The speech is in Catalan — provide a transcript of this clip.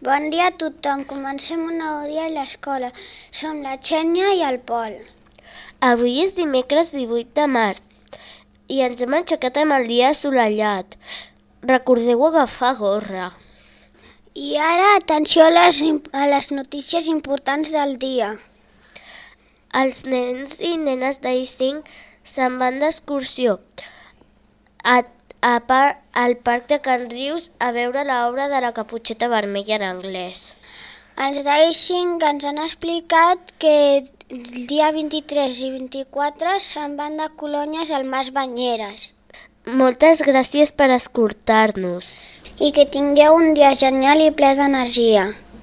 Bon dia a tothom. Comencem un nou dia a l'escola. Som la Xènia i el Pol. Avui és dimecres 18 de març i ens hem aixecat amb el dia assolellat. Recordeu agafar gorra. I ara, atenció a les notícies importants del dia. Els nens i nenes d'I5 se'n van d'excursió al parc de Can Rius a veure l'obra de la Caputxeta Vermella en anglès. Els d'I5 ens han explicat que el dia 23 i 24 se'n van de colònies al Mas Banyeres. Moltes gràcies per escoltar-nos. I que tingueu un dia genial i ple d'energia.